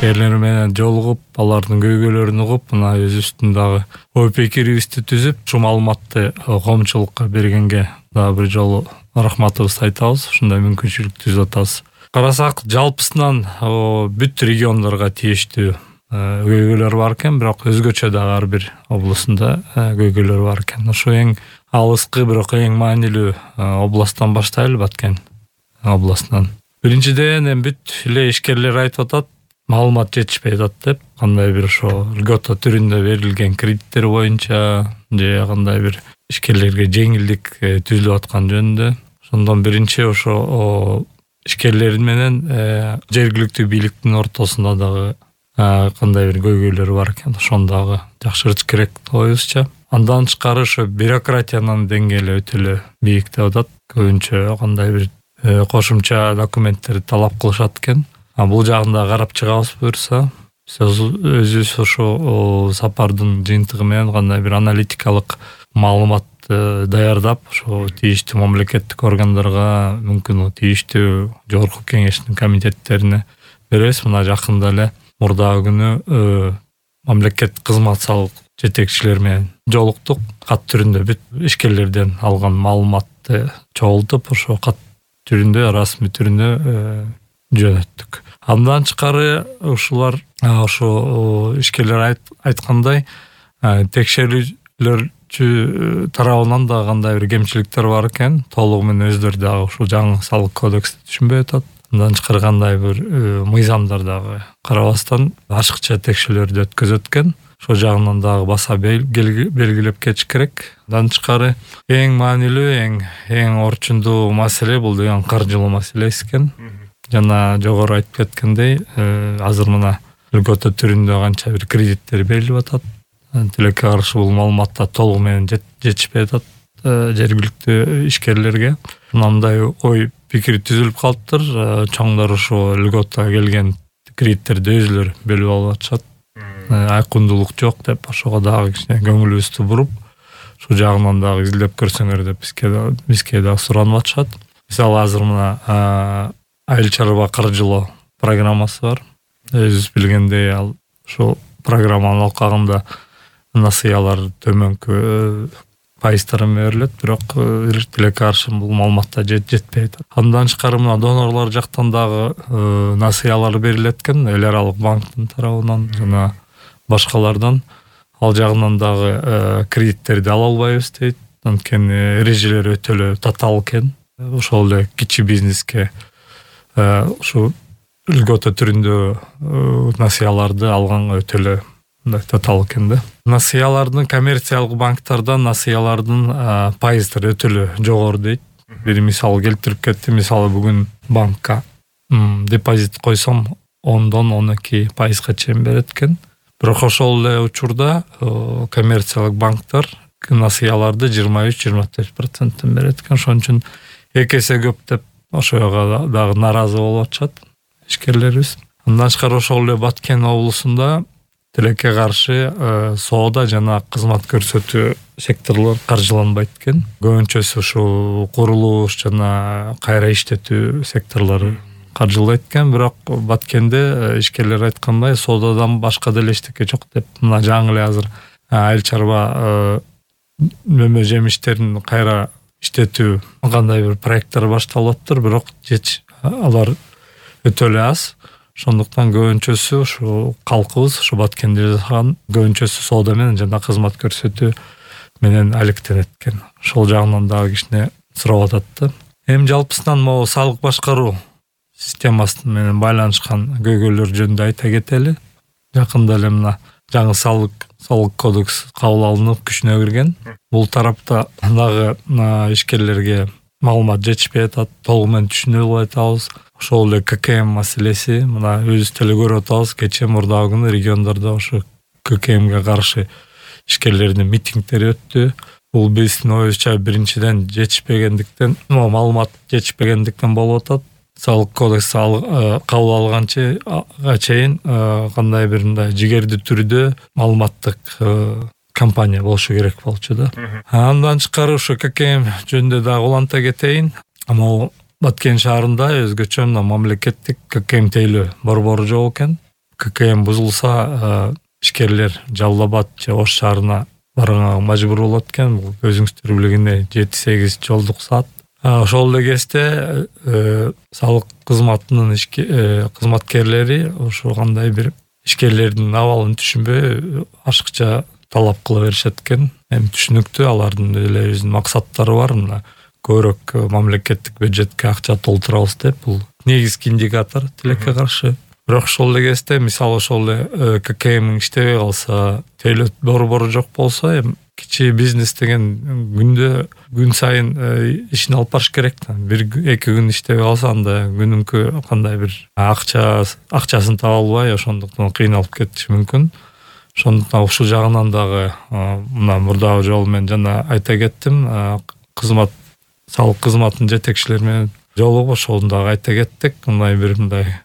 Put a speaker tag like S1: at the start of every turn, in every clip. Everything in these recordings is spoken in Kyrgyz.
S1: ишкерлер менен жолугуп, алардын көйгөйлөрүн угуп, мына өзүбүздүн дагы ой пикирибизди түзүп, ушул маалыматты коомчулукка бергенге дагы бир жолу рахматыбызды айтабыз. Ушундай мүмкүнчүлүк түзүп атабыз. Карасак, жалпысынан бүт региондорго тийиштүү көйгөйлөр бар экен, бирок өзгөчө дагы ар бир областында көйгөйлөр бар экен. Ошо эң алыскы, бирок эң маанилүү областтан баштайлы, Баткен областынан. Биринчиден, бүт эле ишкерлер айтып атат, маалымат жетишпей атат деп, кандай бир ошо льгота түрүндө берилген кредиттер боюнча же кандай бир ишкерлерге жеңилдик түзүлүп аткан жөнүндө. Ошондон биринчи ошо ишкерлер менен жергиликтүү бийликтин ортосунда дагы кандай бир көйгөйлөр бар экен. Ошону дагы жакшыртыш керек оюбузча. Андан тышкары ошо бюрократиянын деңгээли өтө эле бийик деп атат. Көбүнчө кандай бир кошумча документтерди талап кылышат экен. Бул жагында карап чыгабыз буюрса. Өзүбүз ошо сапардын жыйынтыгы менен кандай бир аналитикалык маалымат даярдап, ошо тийиштүү мамлекеттик органдарга, мүмкүн тийиштүү жогорку кеңештин комитеттерине беребиз. Мына жакында эле мурдагы күнү мамлекеттик кызмат салык жетекчилер менен жолуктук. Кат түрүндө бүт ишкерлерден алган маалыматты чогултуп, ошо кат түрүндө, расмий түрүндө жөнөттүк. Андан тышкары ушулар ошо ишкерлер айткандай текшерүүлөр тарабынан да кандай бир кемчиликтер бар экен. Толугу менен өздөрү дагы ушул жаңы салык кодексти түшүнбөй атат. Андан тышкары кандай бир мыйзамдар дагы карабастан ашыкча текшерүүлөрдү өткөзөт экен. Ошол жагынан дагы баса белгилеп кетиш керек. Андан тышкары эң маанилүү, эң орчундуу маселе бул деген каржылуу маселеси экен. Жана жогору айтып кеткендей, азыр мына льгота түрүндө канча бир кредиттер берилип атат. Тилекке каршы бул маалыматта толугу менен жетишпей атат жергиликтүү ишкерлерге. Мындай ой пикир түзүлүп калыптыр. Чоңдор ошо льгота келген кредиттерди өзүлөрү бөлүп алып атышат. Айкындуулук жок деп, ошого дагы кичине көңүлүбүздү буруп, ушул жагынан дагы изилдеп көрсөңөр деп бизге дагы суранып атышат. Мисалы азыр мына айыл чарба каржылоо программасы бар. Өзүбүз билгендей, ал ушул программанын алкагында насыялар төмөнкү пайыздарын берилет, бирок тилекке каршы бул маалыматта жетпей атат. Андан тышкары мына донорлор жактан дагы насыялар берилет экен, эл аралык банктын тарабынан жана башкалардан. Ал жагынан дагы кредиттерди ала албайбыз дейт. Анткени эрежелер өтө эле татаал экен. Ошол эле кичи бизнеске ушу льгота түрүндө насыяларды алганга өтө эле татаал экен да. Насыялардын коммерциялык банктардан насыялардын пайыздары өтө эле жогору дейт. Бир мисал келтирип кетти. Мисалы бүгүн банкка депозит койсом 10-12% чейин берет экен. Бирок ошол эле учурда коммерциялык банктар насыяларды 23-24% берет экен. Ошон үчүн эки эсе көп деп ошого дагы наразы болуп атышат ишкерлерибиз. Андан тышкары ошол эле Баткен облусунда тилекке каршы соода жана кызмат көрсөтүү секторлор каржыланбайт экен. Көбүнчөсү ушул курулуш жана кайра иштетүү секторлору каржылайт экен. Бирок Баткенде ишкерлер айткандай соодадан башка деле эчтеке жок деп, мына жаңы эле азыр айыл чарба мөмө жемиштерин кайра иштетүү кандай бир проекттер башталып атыптыр, бирок алар өтө эле аз. Ошондуктан көбүнчөсү ушу калкыбыз, ушу Баткенде жашаган көбүнчөсү соода менен жана кызмат көрсөтүү менен алектенет экен. Ошол жагынан дагы кичине сурап атат да. Эми жалпысынан могу салык башкаруу системасы менен байланышкан көйгөйлөр жөнүндө айта кетели. Жакында эле мына жаңы салык кодекс кабыл алынып күчүнө кирген. Бул тарапта дагы ишкерлерге маалымат жетишпей атат, толугу менен түшүнө албай атабыз. Ошол эле ККМ маселеси, мына өзүбүз деле көрүп атабыз, кечээ мурдагы күнү региондордо ошо ККМге каршы ишкерлердин митингдери өттү. Бул биздин оюбузча биринчиден жетишпегендиктен, маалымат жетишпегендиктен болуп атат. Салык кодекс кабыл алганча чейин кандай бир мындай жигердүү түрдө маалыматтык компания болушу керек болчу да. Андан тышкары ошо ККМ жөнүндө дагы уланта кетейин. Баткен шаарында өзгөчө мамлекеттик ККМ тейлөө борбору жок экен. ККМ бузулса ишкерлер Жалал Абад же Ош шаарына барганга мажбур болот экен. Бул өзүңүздөр билгендей 7-8 жолдук саат. Ошол эле кезде салык кызматынын кызматкерлери ошо кандай бир ишкерлердин абалын түшүнбөй ашыкча талап кыла беришет экен. Эми түшүнүктүү, алардын эле өзүнүн максаттары бар. Мына көбүрөөк мамлекеттик бюджетке акча толтурабыз деп, бул негизги индикатор тилекке каршы. Бирок ошол эле кезде мисалы ошол эле ККМ иштебей калса, төлөт борбору жок болсо, эми кичи бизнес деген күн сайын ишин алып барыш керек да. 1-2 күн иштебей калса, анда күнүнкү кандай бир акчасын таба албай, ошондуктан кыйналып кетиши мүмкүн. Ошондуктан ушул жагынан дагы мына мурдагы жолу мен жана айта кеттим, салык кызматынын жетекчилери менен жолугуп ошону дагы айта кеттик. Мындай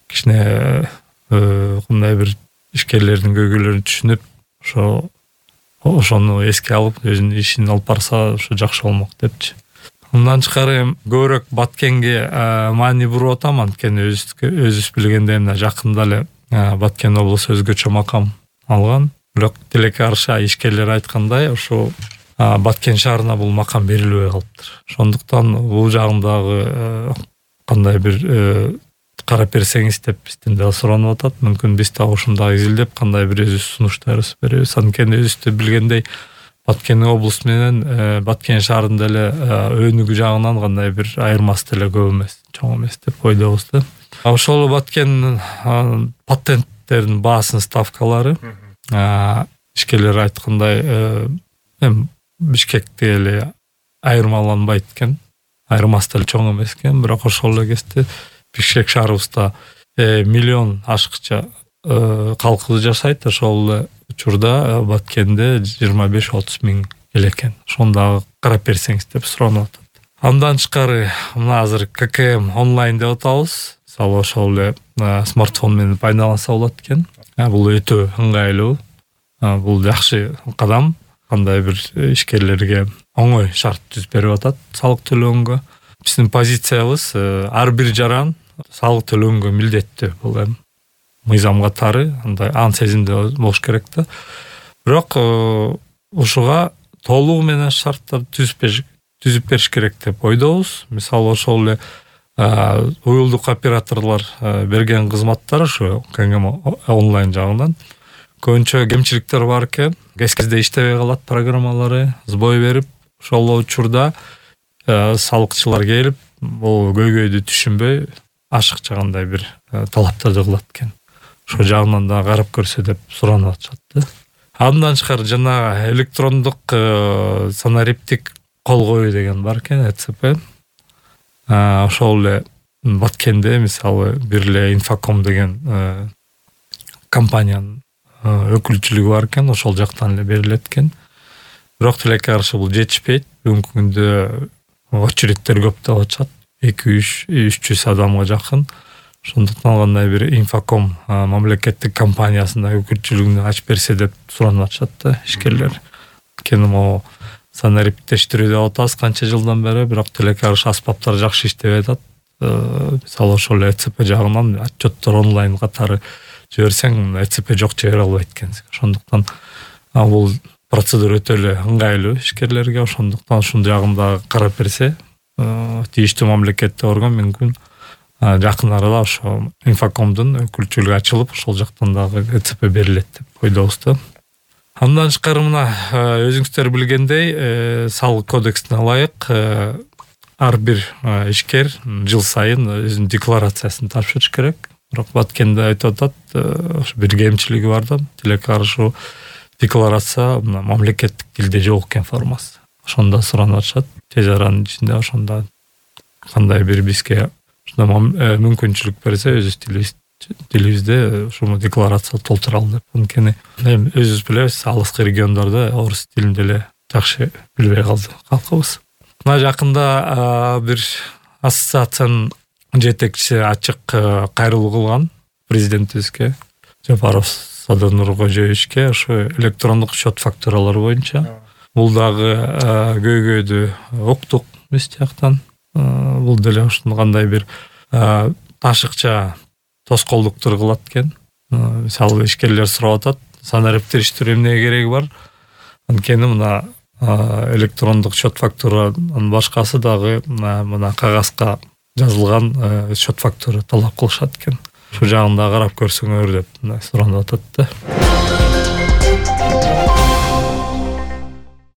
S1: кичине кандай бир ишкерлердин көйгөйлөрүн түшүнүп, ошону эске алып өзүнүн ишин алып барса ошо жакшы болмок депчи. Мындан тышкары көбүрөөк Баткенге маани буруп атам, анткени өзүбүз билгендей мына жакында эле Баткен облусу өзгөчө макам алган. Бирок тилекке каршы ишкерлер айткандай, ошо Баткен шаарына бул макам берилбей калыптыр. Ошондуктан бул жагындагы кандай бир карап берсеңиз деп бизден да суранып атат. Мүмкүн биз да ушундагы изилдеп кандай бир өзүбүз сунуштарыбызды беребиз. Анткени өзүбүз билгендей Баткен облусу менен Баткен шаарында эле өнүгүү жагынан кандай бир айырмасы деле көп эмес, чоң эмес деп ойдобуз да. Ошол Баткен патенттердин баасынын ставкалары ишкерлер айткандай эми Бишкекте эле айырмаланбайт экен, айырмасы деле чоң эмес экен. Бирок ошол эле кезде Бишкек шаарыбызда миллион ашыкча калкыбыз жашайт. Ошол эле учурда Баткенде 25-30 миң эл экен. Ошону дагы карап берсеңиз деп суранып атат. Андан тышкары мына азыр ККМ онлайн деп атабыз. Мисалы ошол эле смартфон менен пайдаланса болот экен. Бул өтө ыңгайлуу. Бул жакшы кадам. Кандай бир ишкерлерге оңой шарт түзүп берип атат салык төлөгөнгө. Биздин позициябыз ар бир жаран салык төлөгөнгө милдеттүү. Бул эми мыйзам катары андай ан сезимде болуш керек да. Бирок ушуга толугу менен шарттар түзүп бериш керек деп ойдобуз. Мисалы ошол эле уюлдук операторлор берген кызматтар ошо ККМ онлайн жагынан көбүнчө кемчиликтер бар экен. Кезде иштебей калат программалары, сбой берип, ошол учурда салыкчылар келип, бул көйгөйдү түшүнбөй, ашыкча кандай бир талаптарды кылат экен. Ошол жагынан да карап көрсө деп суранып атышат. Андан тышкары жана электрондук санариптик кол коюу деген бар экен, ЭЦП. Ошол эле Баткенде мисалы бир эле Инфоком деген компаниянын өкүлчүлүгү бар экен, ошол жактан эле берилет экен. Бирок тилекке каршы бул жетишпейт. Бүгүнкү күндө очередтер көп деп атышат. 200-300 адамга жакын. Ошондуктан кандай бир Инфоком мамлекеттик компаниясында өкүлчүлүгүн ачып берсе деп суранып атышат да ишкерлер. Анткени могу санариптештирүү деп атабыз канча жылдан бери, бирок тилекке каршы аспаптар жакшы иштебей атат. Мисалы ошол ЭЦП жагынан отчеттор онлайн катары жиберсең, ЭЦП жок жибере албайт экенсиң. Ошондуктан бул процедура өтө эле ыңгайлуу ишкерлерге. Ошондуктан ушун жагында карап берсе, тийиштүү мамлекеттик орган мүмкүн жакын арада ошо Инфокомдун өкүлчүлүгү ачылып, ошол жактан дагы ЭЦП берилет деп ойдобуз да. Андан тышкары мына өзүңүздөр билгендей, салык кодексине ылайык ар бир ишкер жыл сайын өзүнүн декларациясын тапшырыш керек. Бирок Баткенде айтып атат, ошо бир кемчилиги бар да, тилекке каршы декларация мамлекеттик тилде жок экен формасы. Ошондо суранып атышат. Тез аранын ичинде ошондо кандай бир бизге мүмкүнчүлүк берсе, өзүбүз тилибизде ушуну декларация толтуралы деп. Анткени эми өзүбүз билебиз, алыскы региондордо орус тилинде эле жакшы билбей калды калкыбыз. Мына жакында бир ассоциациянын жетекчиси ачык кайрылуу кылган президентибизге, Жапаров Садыр Нуркожоевичке, ошо электрондук счет фактуралары боюнча. Бул дагы көйгөйдү уктук биз жактан. Бул деле ушуну кандай бир ашыкча тоскоолдуктар кылат экен. Мисалы ишкерлер сурап атат, санариптештирүү эмнеге кереги бар? Анткени мына электрондук счет фактуранын башкасы дагы мына кагазга жазылган счет фактура талап кылышат экен. Ушул жагын да карап көрсөңөр деп суранып атат да.